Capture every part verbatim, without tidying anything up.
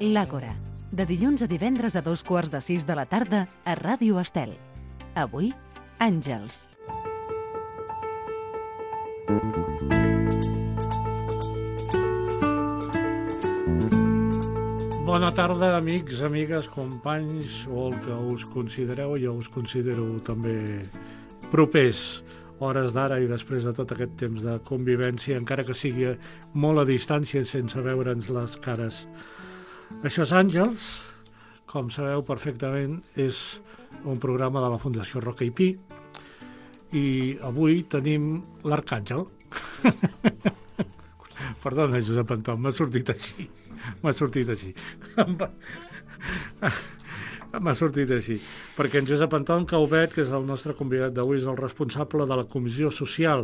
L'Àgora, de dilluns a divendres a dos quarts de sis de la tarda a Ràdio Estel. Avui, Àngels. Bona tarda, amics, amigues, companys, o el que us considereu, jo us considero també propers, hores d'ara i després de tot aquest temps de convivència, encara que sigui molt a distància sense veure'ns les cares. Això és Àngels, com sabeu perfectament, és un programa de la Fundació Roca i Pi, i avui tenim l'Arcàngel. Perdona, Josep Anton, m'ha sortit així. M'ha sortit així. M'ha sortit així. Perquè en Josep Anton Caubet, que és el nostre convidat d'avui, és el responsable de la Comissió Social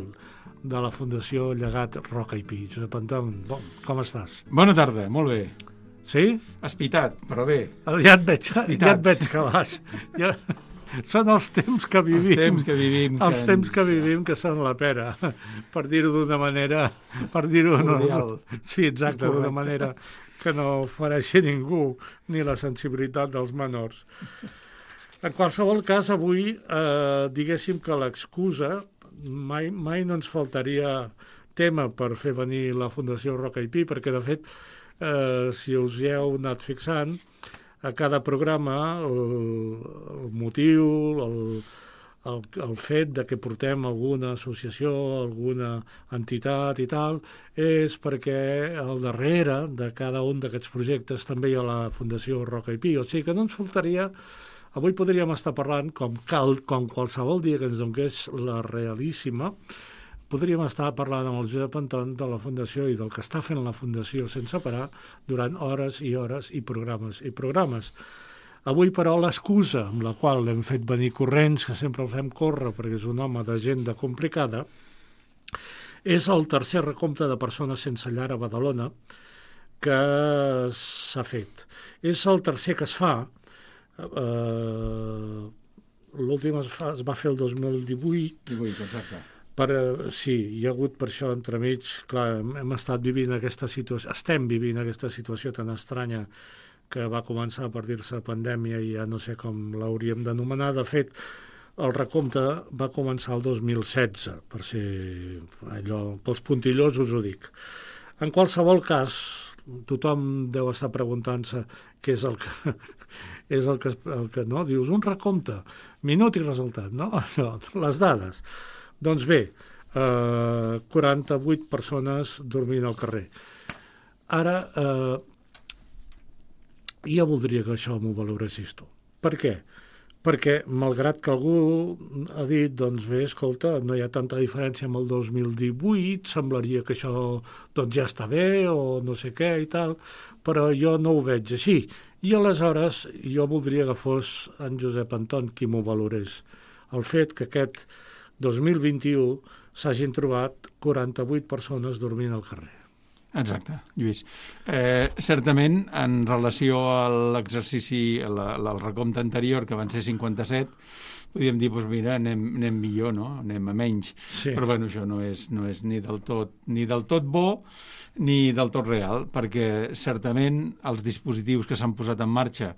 de la Fundació Llegat Roca i Pi. Josep Anton, bon, com estàs? Bona tarda, molt bé. Sí? Espitat, però bé. Ja et veig, ja et veig que vas. Ja... Són els temps que vivim. Els temps que vivim. Els que temps ens... que vivim que són la pera, per dir-ho d'una manera... Per dir-ho no, sí, exacte, d'una manera que no ofereixi ningú, ni la sensibilitat dels menors. En qualsevol cas, avui, eh, diguéssim que l'excusa, mai, mai no ens faltaria tema per fer venir la Fundació Roca i Pi, perquè, de fet, eh, si us hi heu anat fixant, a cada programa el, el motiu, el, el, el fet de que portem alguna associació, alguna entitat i tal, és perquè al darrere de cada un d'aquests projectes també hi ha la Fundació Roca i Pi. O sigui que no ens faltaria, avui podríem estar parlant, com, cal, com qualsevol dia que ens donés la realíssima, podríem estar parlant amb el Josep Anton de la Fundació i del que està fent la Fundació sense parar durant hores i hores i programes i programes. Avui, però, l'excusa amb la qual l'hem fet venir corrents, que sempre el fem córrer perquè és un home d'agenda complicada, és el tercer recompte de persones sense llar a Badalona que s'ha fet. És el tercer que es fa. Eh, l'últim es, fa, es va fer el dos mil divuit. divuit, exacte. Per, sí, hi ha hagut per això entremig, clar, hem, hem estat vivint aquesta situació, estem vivint aquesta situació tan estranya que va començar a dir-se pandèmia i ja no sé com l'hauríem d'anomenar. De fet, el recompte va començar el dos mil setze, per ser allò, pels puntillosos ho dic. En qualsevol cas, tothom deu estar preguntant-se què és el que... és el que, el que no? Dius, un recompte, minut i resultat, no? Les dades. Doncs bé, eh, quaranta-vuit persones dormint al carrer. Ara, eh, jo voldria que això m'ho valoressis tu. Per què? Perquè, malgrat que algú ha dit, doncs bé, escolta, no hi ha tanta diferència amb el dos mil divuit, semblaria que això doncs, ja està bé o no sé què i tal, però jo no ho veig així. I aleshores jo voldria que fos en Josep Anton qui m'ho valorés. El fet que aquest dos mil vint-i-u s'hagin trobat quaranta-vuit persones dormint al carrer. Exacte, Lluís. Eh, certament, en relació a l'exercici, al recompte anterior, que van ser cinquanta-set, podríem dir, doncs mira, anem, anem millor, no? Anem a menys. Sí. Però bueno, això no és, no és ni del tot, ni del tot bo ni del tot real, perquè certament els dispositius que s'han posat en marxa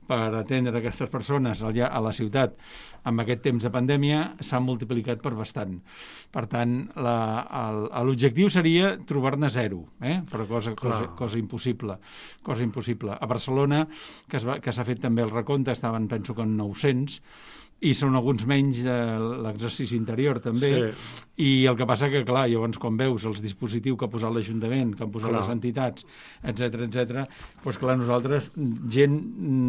per atendre aquestes persones allà a la ciutat amb aquest temps de pandèmia s'han multiplicat per bastant. Per tant, l'objectiu seria trobar-ne zero, eh? però cosa, cosa, cosa impossible. Cosa impossible. A Barcelona, que s'ha fet també el recompte, estaven, penso que en nou-cents, i són alguns menys de l'exercici interior també, sí. I el que passa que, clar, llavors quan veus els dispositius que ha posat l'Ajuntament, que han posat clar. Les entitats, etcètera, etcètera, doncs clar, nosaltres, gent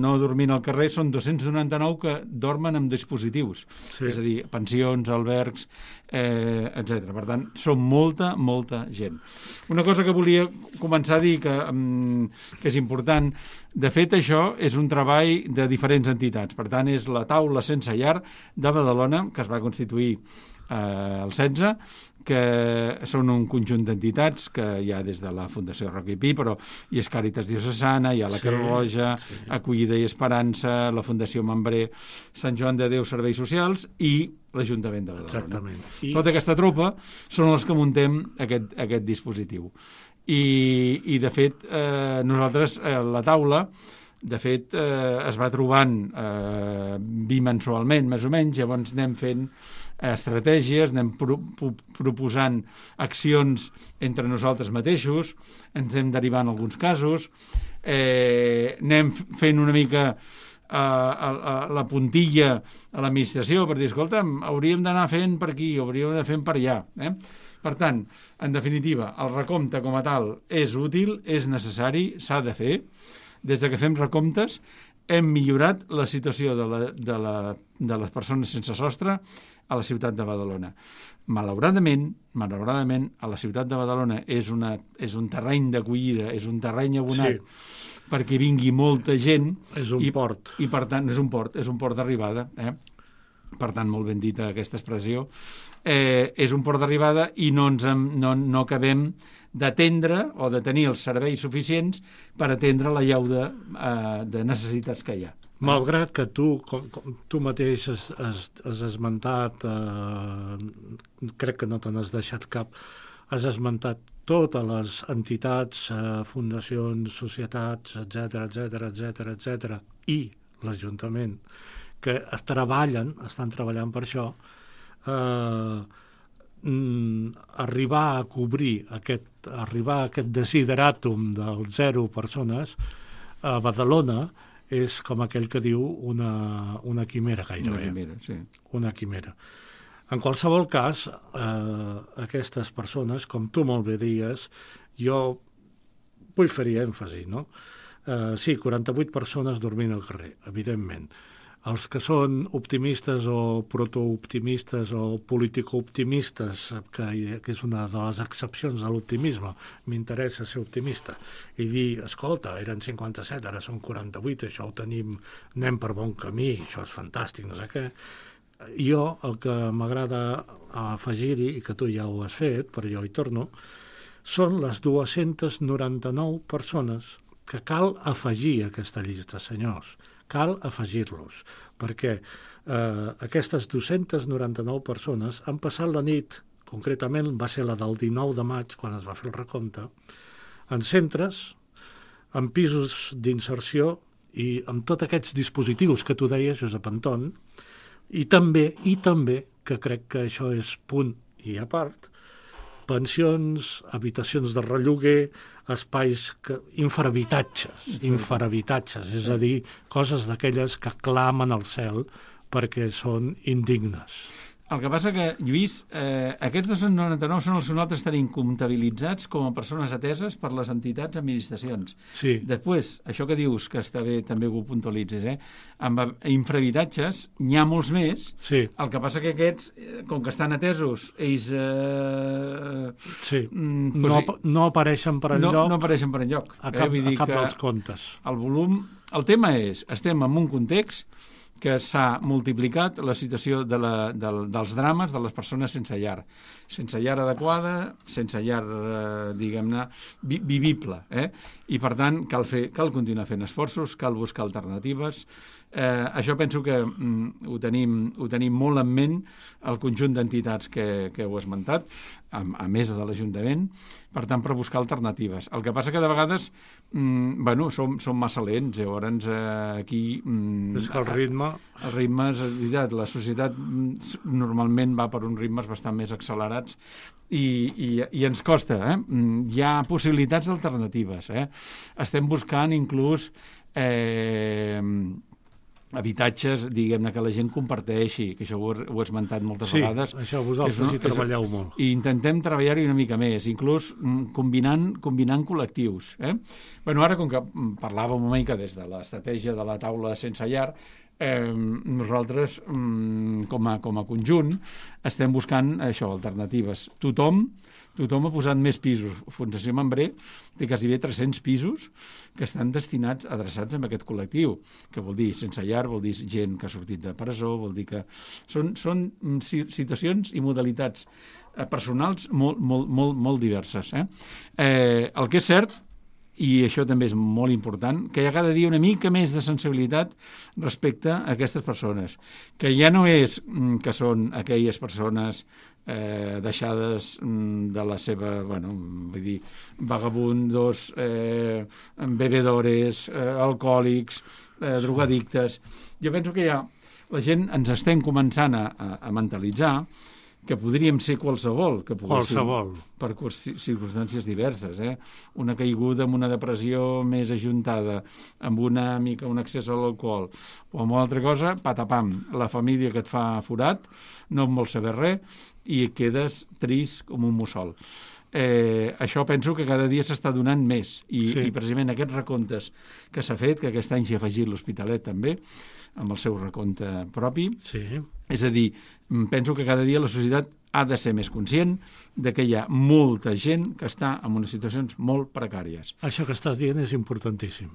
no dormint al carrer, són dos-cents noranta-nou que dormen amb dispositius, sí. És a dir, pensions, albergs, eh, etcètera. Per tant, són molta, molta gent. Una cosa que volia començar a dir que, que és important, de fet, això és un treball de diferents entitats. Per tant, és la taula sense llar de Badalona, que es va constituir eh, el setze, que són un conjunt d'entitats que hi ha des de la Fundació Roca i Pi, però hi és Càritas Diocesana, hi ha la Creu Roja, sí, sí. Acollida i Esperança, la Fundació Membré, Sant Joan de Déu Serveis Socials i l'Ajuntament de Badalona. Exactament. I... Tota aquesta tropa són els que muntem aquest, aquest dispositiu. I, i de fet, eh, nosaltres, eh, la taula, de fet, eh, es va trobant eh, bimensualment, més o menys, llavors anem fent estratègies, anem pro pro proposant accions entre nosaltres mateixos, ens anem derivant alguns casos, eh, anem fent una mica a, a, a la puntilla a l'administració per dir, escolta'm, hauríem d'anar fent per aquí, hauríem d'anar fent per allà. Eh? Per tant, en definitiva, el recompte com a tal és útil, és necessari, s'ha de fer. Des de que fem recomptes hem millorat la situació de, la, de, la, de les persones sense sostre a la ciutat de Badalona. Malauradament, malauradament, a la ciutat de Badalona és, una, és un terreny d'acollida, és un terreny abonat sí. perquè vingui molta gent. És un i, port. I per tant, és un port, és un port d'arribada. Eh? Per tant, molt ben dita aquesta expressió. Eh, és un port d'arribada i no, ens, no, no acabem d'atendre o de tenir els serveis suficients per atendre la llauda eh, de necessitats que hi ha. Malgrat que tu, com, com tu mateix has, has, has esmentat, eh, crec que no te n'has deixat cap, has esmentat totes les entitats, eh, fundacions, societats, etcètera, etcètera, etcètera, etcètera, i l'Ajuntament, que es treballen, estan treballant per això, eh, arribar a cobrir aquest, arribar a aquest desideràtum del zero persones a Badalona és com aquell que diu una, una quimera gairebé. Una quimera, sí. Una quimera. En qualsevol cas, eh, aquestes persones, com tu molt bé dies, jo vull fer-hi èmfasi, no? Eh, sí, quaranta-vuit persones dormint al carrer, evidentment. Els que són optimistes o protooptimistes o politicooptimistes, que, que és una de les excepcions de l'optimisme, m'interessa ser optimista, i dir, escolta, eren cinquanta-set, ara són quaranta-vuit, això ho tenim, anem per bon camí, això és fantàstic, no sé què. Jo, el que m'agrada afegir-hi, i que tu ja ho has fet, però jo hi torno, són les dues-centes noranta-nou persones que cal afegir a aquesta llista, senyors. Cal afegir-los, perquè eh, aquestes dues-centes noranta-nou persones han passat la nit, concretament va ser la del dinou de maig, quan es va fer el recompte, en centres, en pisos d'inserció i amb tots aquests dispositius que tu deies, Josep Anton, i també, i també, que crec que això és punt i a part, pensions, habitacions de relloguer, espais, que, infrahabitatges, infrahabitatges, és a dir, coses d'aquelles que clamen al cel perquè són indignes. El que passa que, Lluís, eh, aquests dos-cents noranta-nou són els que nosaltres tenim comptabilitzats com a persones ateses per les entitats administracions. Sí. Després, això que dius, que està bé, també ho puntualitzes, eh? Amb infrahabitatges n'hi ha molts més, sí. El que passa que aquests, com que estan atesos, ells... Eh, sí. Mm, no, no apareixen per enlloc. No, no apareixen per enlloc. A cap, eh? Vull dir a cap que dels comptes. El volum... El tema és, estem en un context que s'ha multiplicat la situació de la, de, dels drames de les persones sense llar. Sense llar adequada, sense llar, eh, diguem-ne, vi, vivible. Eh? I, per tant, cal, fer, cal continuar fent esforços, cal buscar alternatives. Eh, això penso que mm, ho, tenim, ho tenim molt en ment el conjunt d'entitats que, que heu esmentat, a, a més de l'Ajuntament, per tant, per buscar alternatives. El que passa que de vegades mm, bueno, som, som massa lents, llavors eh, aquí... Mm, és que el ritme... El ritme, és veritat, la societat mm, normalment va per uns ritmes bastant més accelerats i, i, i ens costa, eh? Hi ha possibilitats alternatives, eh? Estem buscant inclús... Eh, habitatges, diguem-ne, que la gent comparteixi, que això ho, ho he esmentat moltes sí, vegades. Sí, això vosaltres hi treballeu és, molt. I intentem treballar-hi una mica més, inclús combinant, combinant col·lectius. Eh? Bueno, ara, com que parlàvem una mica des de l'estratègia de la taula sense llar, eh, nosaltres, com a, com a conjunt, estem buscant això, alternatives. Tothom Tothom ha posat més pisos. Fundació Mambré té quasi bé tres-cents pisos que estan destinats, adreçats a aquest col·lectiu, que vol dir sense llar, vol dir gent que ha sortit de presó, vol dir que són, són situacions i modalitats personals molt, molt, molt, molt diverses. Eh? Eh, el que és cert i això també és molt important, que hi ha cada dia una mica més de sensibilitat respecte a aquestes persones, que ja no és que són aquelles persones eh, deixades de la seva, bueno, vull dir, vagabundos, eh, bebedores, eh, alcohòlics, eh, drogadictes. Jo penso que ja la gent ens estem començant a, a, a mentalitzar que podríem ser qualsevol, que qualsevol. per circumstàncies diverses. Eh? Una caiguda amb una depressió més ajuntada, amb una mica un accés a l'alcohol, o amb una altra cosa, patapam, la família que et fa forat, no en vol saber res, i quedes trist com un mussol. Eh, això penso que cada dia s'està donant més, i, sí. i precisament aquests recomptes que s'ha fet, que aquest any s'hi ha afegit l'Hospitalet també, amb el seu recompte propi, sí. És a dir, penso que cada dia la societat ha de ser més conscient de que hi ha molta gent que està en unes situacions molt precàries. Això que estàs dient és importantíssim.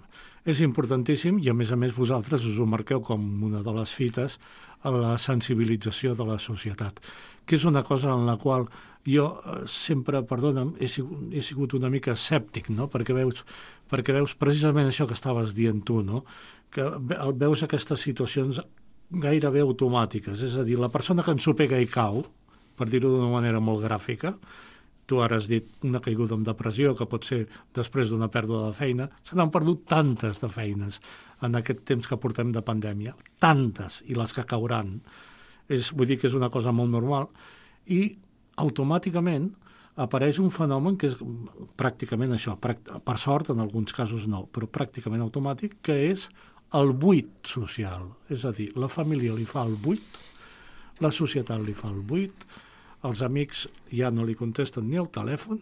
És importantíssim i, a més a més, vosaltres us ho marqueu com una de les fites a la sensibilització de la societat, que és una cosa en la qual jo sempre, perdona'm, he sigut, he sigut una mica escèptic, no? Perquè veus, perquè veus precisament això que estaves dient tu, no? Que veus aquestes situacions gairebé automàtiques, és a dir, la persona que ensopega i cau, per dir-ho d'una manera molt gràfica, tu ara has dit una caiguda amb depressió, que pot ser després d'una pèrdua de feina, se n'han perdut tantes de feines en aquest temps que portem de pandèmia, tantes, i les que cauran. És, vull dir que és una cosa molt normal, i automàticament apareix un fenomen que és pràcticament això, per sort en alguns casos no, però pràcticament automàtic, que és el buit social. És a dir, la família li fa el buit, la societat li fa el buit, els amics ja no li contesten ni el telèfon,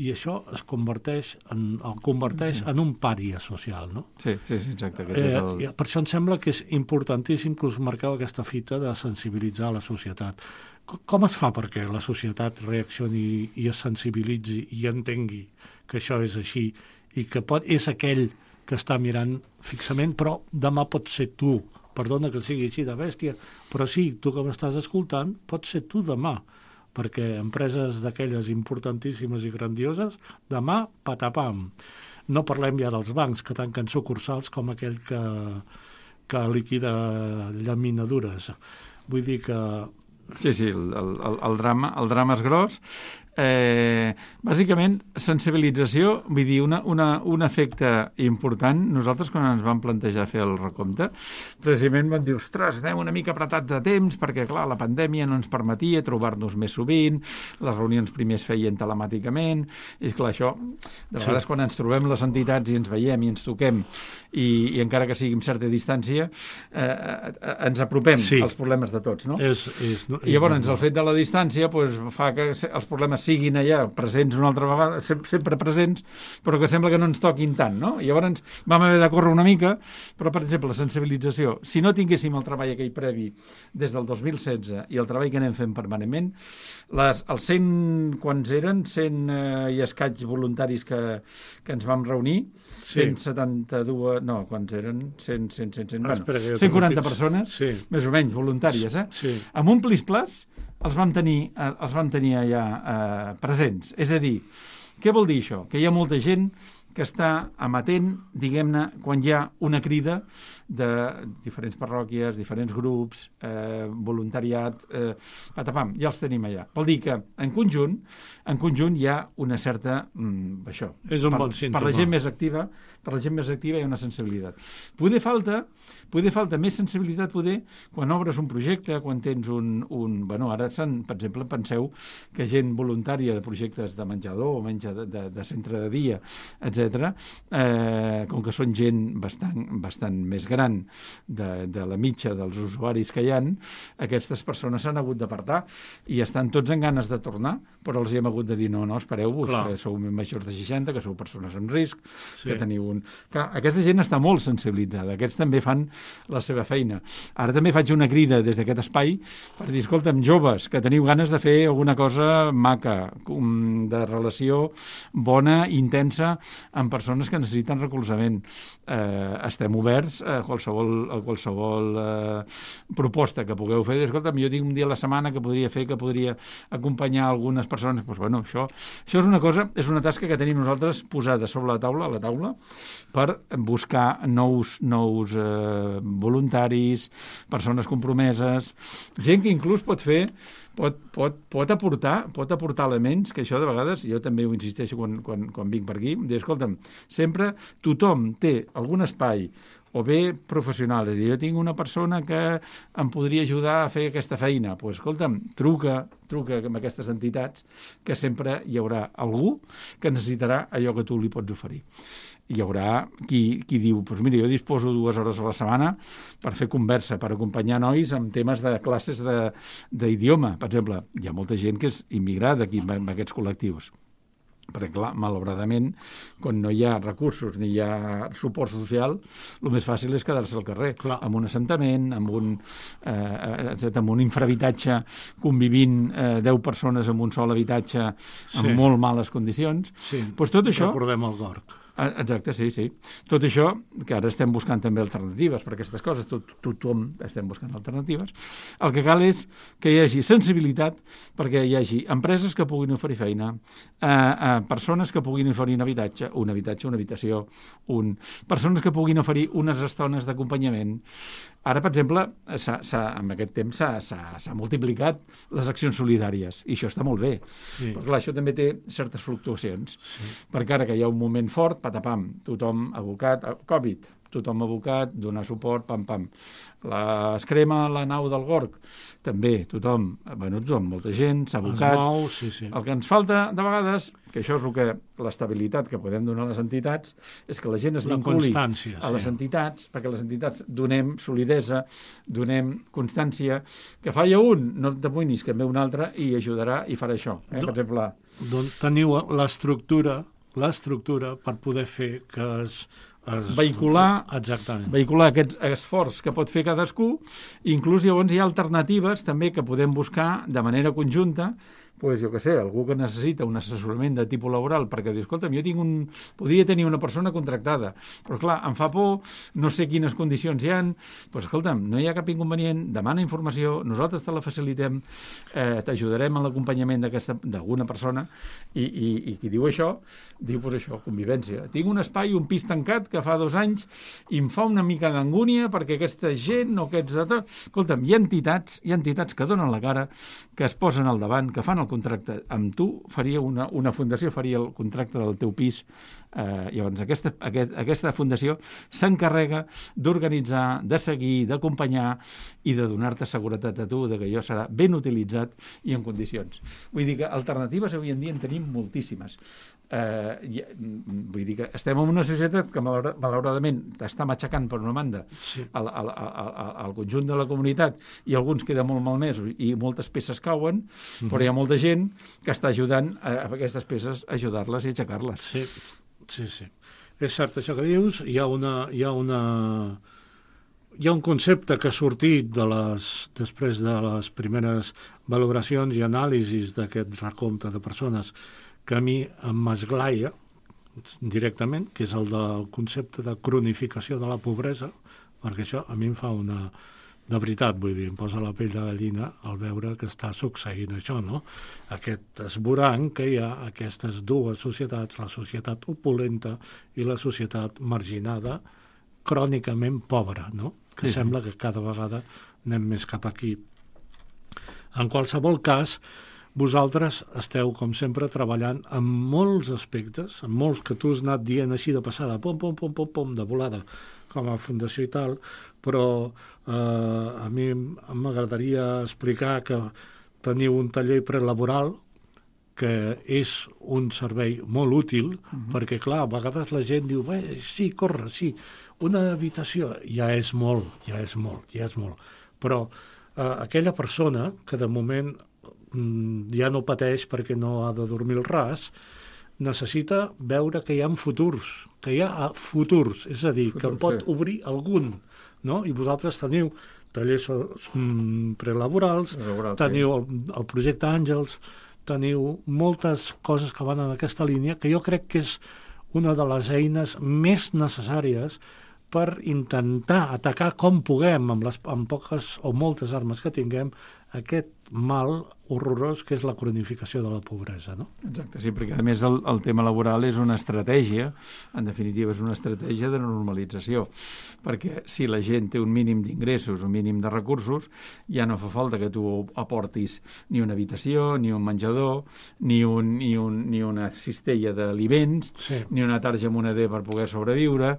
i això es converteix en, el converteix en un pària social, no? Sí, sí, sí, exacte. Eh, el... Per això em sembla que és importantíssim que us marqueu aquesta fita de sensibilitzar la societat. Com es fa perquè la societat reaccioni i es sensibilitzi i entengui que això és així i que pot, és aquell que està mirant fixament, però demà pot ser tu. Perdona que sigui així de bèstia, però sí, tu que m'estàs escoltant, pot ser tu demà, perquè empreses d'aquelles importantíssimes i grandioses, demà, patapam. No parlem ja dels bancs que tanquen sucursals com aquell que, que liquida llaminadures. Vull dir que... Sí, sí, el, el, el, drama, el drama és gros. Eh, bàsicament, sensibilització, vull dir, una, una, un efecte important. Nosaltres, quan ens vam plantejar fer el recompte, precisament vam dir, ostres, anem una mica apretats de temps, perquè, clar, la pandèmia no ens permetia trobar-nos més sovint, les reunions primer es feien telemàticament, i, clar, això, de vegades, sí. Quan ens trobem les entitats i ens veiem i ens toquem, i, i encara que sigui amb certa distància, eh, ens apropem sí. als problemes de tots, no? És, és, no, és I llavors, no, no. el fet de la distància pues, fa que els problemes siguin allà presents una altra vegada, sempre presents, però que sembla que no ens toquin tant, no? I llavors vam haver de córrer una mica, però, per exemple, la sensibilització, si no tinguéssim el treball aquell previ des del dos mil setze i el treball que anem fent permanentment, les, els cent, quants eren? cent eh, i escaig voluntaris que, que ens vam reunir, sí. cent setanta-dos, no, quants eren? cent, cent, cent, cent, bueno, cent quaranta persones, sí. més o menys voluntàries, eh? Sí. Amb un plis-plas els vam tenir, els vam tenir allà eh, presents. És a dir, què vol dir això? Que hi ha molta gent que està amatent, diguem-ne, quan hi ha una crida de diferents parròquies, diferents grups, eh, voluntariat, eh, patapam, ja els tenim allà. Vol dir que en conjunt, en conjunt hi ha una certa, mm, això, és un per, bon símptoma. Per la gent més activa, per la gent més activa hi ha una sensibilitat. Poder falta, poder falta més sensibilitat, poder, quan obres un projecte, quan tens un... un bueno, ara, per exemple, penseu que gent voluntària de projectes de menjador o menja de, de, de centre de dia, etcètera, eh, com que són gent bastant, bastant més gran de, de la mitja dels usuaris que hi ha, aquestes persones s'han hagut d'apartar i estan tots en ganes de tornar, però els hi hem hagut de dir no, no, espereu-vos, que sou majors de seixanta, que sou persones en risc, sí. que teniu un... Clar, aquesta gent està molt sensibilitzada, aquests també fan la seva feina. Ara també faig una crida des d'aquest espai per dir, escolta'm, joves, que teniu ganes de fer alguna cosa maca, de relació bona, intensa, amb persones que necessiten recolzament. Eh, estem oberts a qualsevol, a qualsevol eh, proposta que pugueu fer. Escolta, jo tinc un dia a la setmana que podria fer, que podria acompanyar algunes persones. Pues, bueno, això, això és una cosa, és una tasca que tenim nosaltres posada sobre la taula, a la taula, per buscar nous, nous eh, voluntaris, persones compromeses, gent que inclús pot fer Pot, pot, pot, aportar, pot aportar elements que això de vegades, jo també ho insisteixo quan, quan, quan vinc per aquí, dir, escolta'm, sempre tothom té algun espai o bé professional, és a dir, jo tinc una persona que em podria ajudar a fer aquesta feina, doncs, pues, escolta'm, truca, truca amb aquestes entitats que sempre hi haurà algú que necessitarà allò que tu li pots oferir. Hi haurà qui, qui diu, doncs mira, jo disposo dues hores a la setmana per fer conversa, per acompanyar nois amb temes de classes d'idioma. Per exemple, hi ha molta gent que és immigrada aquí en aquests col·lectius. Perquè, clar, malauradament, quan no hi ha recursos ni hi ha suport social, el més fàcil és quedar-se al carrer, clar, amb un assentament, amb un, eh, amb un infrahabitatge, convivint eh, deu persones en un sol habitatge amb sí. molt males condicions. Sí, pues tot això, recordem el Gorg. Exacte, sí, sí. Tot això, que ara estem buscant també alternatives per aquestes coses, tot, tothom estem buscant alternatives, el que cal és que hi hagi sensibilitat perquè hi hagi empreses que puguin oferir feina, eh, eh, persones que puguin oferir un habitatge, un habitatge, una habitació, un... persones que puguin oferir unes estones d'acompanyament. Ara, per exemple, s'ha, s'ha, en aquest temps s'ha, s'ha, s'ha multiplicat les accions solidàries, i això està molt bé. Sí. Però, clar, això també té certes fluctuacions, sí. perquè ara que hi ha un moment fort, patapam, tothom abocat, Covid, tothom abocat, donar suport, pam, pam. La, es crema la nau del Gorg, també, tothom, bueno, tothom, molta gent, s'ha abocat. Mou, sí, sí. El que ens falta, de vegades, que això és el que, l'estabilitat que podem donar a les entitats, és que la gent es vinculi a les sí. entitats, perquè les entitats donem solidesa, donem constància, que falla un, no t'amoïnis, que en ve un altre i ajudarà i farà això. Eh? Per exemple... Doncs teniu l'estructura, l'estructura per poder fer que es... Es... vehicular, Exactament. vehicular aquest esforç que pot fer cadascú, inclús llavors hi ha alternatives també que podem buscar de manera conjunta, pues, jo què sé, algú que necessita un assessorament de tipus laboral, perquè diu, escolta'm, jo tinc un... podria tenir una persona contractada, però clar, em fa por, no sé quines condicions hi ha, pues, escolta'm, no hi ha cap inconvenient, demana informació, nosaltres te la facilitem, eh, t'ajudarem en l'acompanyament d'alguna persona, i, i, i qui diu això, diu, pues això, convivència. Tinc un espai, un pis tancat, que fa dos anys, i em fa una mica d'angúnia, perquè aquesta gent, o aquests... Escolta'm, hi ha entitats, hi ha entitats que donen la cara, que es posen al davant, que fan el contracte amb tu, faria una, una fundació faria el contracte del teu pis. Eh, llavors, aquesta, aquest, aquesta fundació s'encarrega d'organitzar, de seguir, d'acompanyar i de donar-te seguretat a tu de que allò serà ben utilitzat i en condicions. Vull dir que alternatives avui en dia en tenim moltíssimes. Eh, vull dir que estem en una societat que malauradament està matxacant per una banda sí. al, al, al, al conjunt de la comunitat i alguns queden molt malmesos i moltes peces cauen, mm-hmm. però hi ha molta gent que està ajudant a, a aquestes peces a ajudar-les i aixecar-les. Sí, sí, sí. És cert això que dius, hi ha una... Hi ha una... Hi ha un concepte que ha sortit de les, després de les primeres valoracions i anàlisis d'aquest recompte de persones que a mi em m'esglaia directament, que és el del concepte de cronificació de la pobresa, perquè això a mi em fa una... De veritat, vull dir, em posa la pell de gallina al veure que està succeint això, no? Aquest esborrany que hi ha aquestes dues societats, la societat opulenta i la societat marginada, crònicament pobra, no? Que sí, sembla que cada vegada anem més cap aquí. En qualsevol cas, vosaltres esteu, com sempre, treballant en molts aspectes, en molts que tu has anat dient així de passada, pom, pom, pom, pom, pom, de volada, com a fundació i tal, però eh, a mi m'agradaria explicar que teniu un taller prelaboral que és un servei molt útil, uh-huh. perquè, clar, a vegades la gent diu, bé, sí, corre, sí, una habitació, ja és molt, ja és molt, ja és molt. Però eh, aquella persona que de moment mm, ja no pateix perquè no ha de dormir al ras, necessita veure que hi ha futurs, que hi ha futurs, és a dir, Futur, que en pot sí. obrir algun, no? I vosaltres teniu tallers mm, prelaborals, Laboral, teniu sí. el, el projecte Àngels, teniu moltes coses que van en aquesta línia, que jo crec que és una de les eines més necessàries per intentar atacar com puguem, amb, les, amb poques o moltes armes que tinguem, aquest mal horrorós que és la cronificació de la pobresa, no? Exacte, sí, perquè a més el, el tema laboral és una estratègia, en definitiva és una estratègia de normalització, perquè si la gent té un mínim d'ingressos, un mínim de recursos, ja no fa falta que tu aportis ni una habitació, ni un menjador, ni, un, ni, un, ni una cistella d'aliments, sí. ni una tarja moneder per poder sobreviure,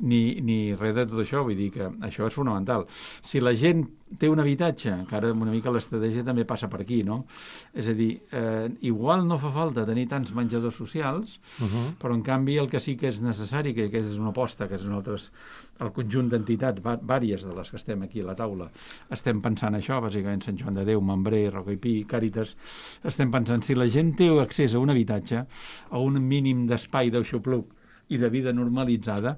ni, ni res de tot això, vull dir que això és fonamental. Si la gent té un habitatge, que ara una mica l'estratègia també passa per aquí, no? És a dir, eh, igual no fa falta tenir tants menjadors socials, uh-huh. però en canvi el que sí que és necessari, que aquesta és una aposta, que és nosaltres, el conjunt d'entitats, vàries de les que estem aquí a la taula, estem pensant això, bàsicament Sant Joan de Déu, Membré, Rocaipí, Càritas, estem pensant si la gent té accés a un habitatge, a un mínim d'espai d'aixopluc, i de vida normalitzada,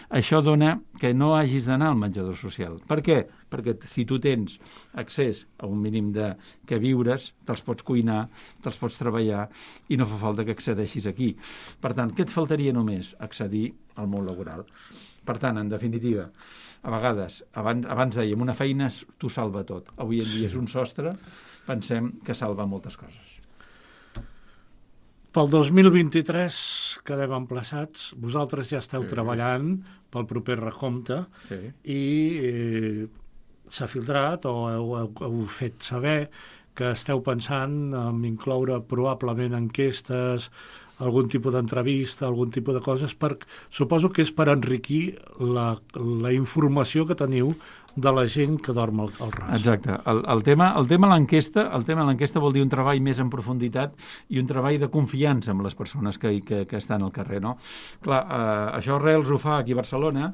això dona que no hagis d'anar al menjador social. Per què? Perquè si tu tens accés a un mínim de que viures, te'ls pots cuinar, te'ls pots treballar i no fa falta que accedeixis aquí. Per tant, què et faltaria només? Accedir al món laboral. Per tant, en definitiva, a vegades, abans, abans dèiem, una feina t'ho salva tot. Avui en dia és un sostre, pensem que salva moltes coses. Pel dos mil vint-i-tres quedem emplaçats, vosaltres ja esteu sí. treballant pel proper recompte sí. i eh, s'ha filtrat o heu, heu, heu fet saber que esteu pensant en incloure probablement enquestes, algun tipus d'entrevista, algun tipus de coses, per, suposo que és per enriquir la, la informació que teniu de la gent que dorm al, al ras. Exacte. El, el tema el tema de l'enquesta el tema de l'enquesta vol dir un treball més en profunditat i un treball de confiança amb les persones que, que, que estan al carrer, no? Clar, eh, això Arrels ho fa aquí a Barcelona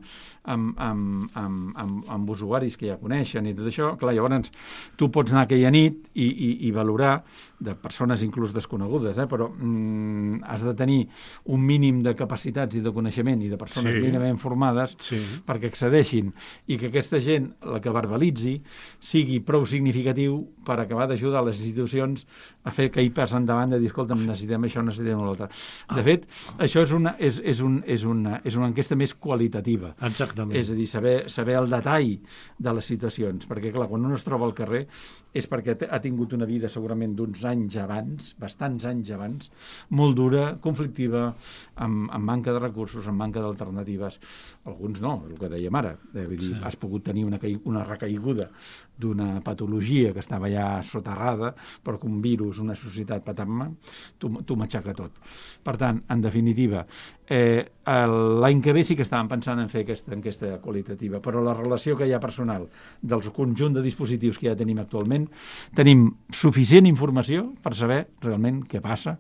amb, amb, amb, amb, amb usuaris que ja coneixen i tot això. Clar, llavors tu pots anar aquella nit i, i, i valorar de persones inclús desconegudes, eh? Però mm, has de tenir un mínim de capacitats i de coneixement i de persones sí. mínimament formades sí. perquè accedeixin i que aquesta gent la que verbalitzi sigui prou significatiu per acabar d'ajudar les institucions a fer que hi passen endavant de dir, escolta, necessitem això, necessitem l'altre. De fet, això és una, és, és, un, és, una, és una enquesta més qualitativa. Exactament. És a dir, saber, saber el detall de les situacions, perquè clar, quan un es troba al carrer és perquè ha tingut una vida segurament d'uns anys abans, bastants anys abans, molt dura, conflictiva, amb, amb manca de recursos, amb manca d'alternatives. Alguns no, el que dèiem ara. Vull dir, sí. Has pogut tenir una, una recaiguda d'una patologia que estava ja soterrada, però que un virus, una societat patam-me, t'ho matxaca tot. Per tant, en definitiva, eh, l'any que ve sí que estàvem pensant en fer aquesta enquesta qualitativa, però la relació que hi ha personal del conjunt de dispositius que ja tenim actualment, tenim suficient informació per saber realment què passa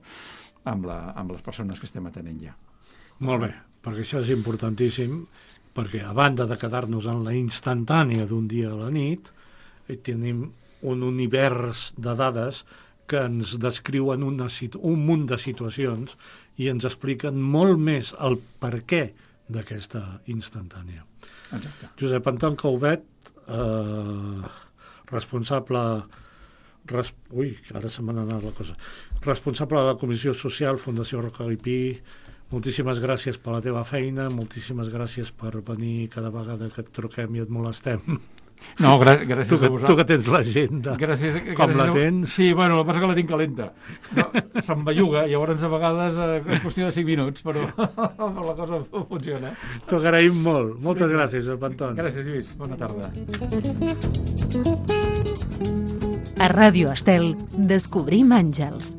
amb, la, amb les persones que estem atenent ja. Molt bé, perquè això és importantíssim, perquè a banda de quedar-nos en la instantània d'un dia a la nit, tenim un univers de dades que ens descriuen una, un munt de situacions i ens expliquen molt més el perquè d'aquesta instantània. Exacte. Josep Anton Caubet, eh, responsable... Res, ui, ara se m'ha anat la cosa. Responsable de la Comissió Social, Fundació Rocaipí, moltíssimes gràcies per la teva feina, moltíssimes gràcies per venir cada vegada que et truquem i et molestem. No, gràcies, gràcies tu que, a vosaltres. Tu que tens l'agenda, gràcies, com gràcies la tens? A... Sí, bueno, el que passa que la tinc calenta. No, se'm belluga, llavors a vegades eh, és qüestió de cinc minuts, però la cosa funciona. T'ho agraïm molt. Moltes gràcies, Josep Anton. Gràcies, Lluís. Bona tarda. A Ràdio Estel, Descobrim Àngels,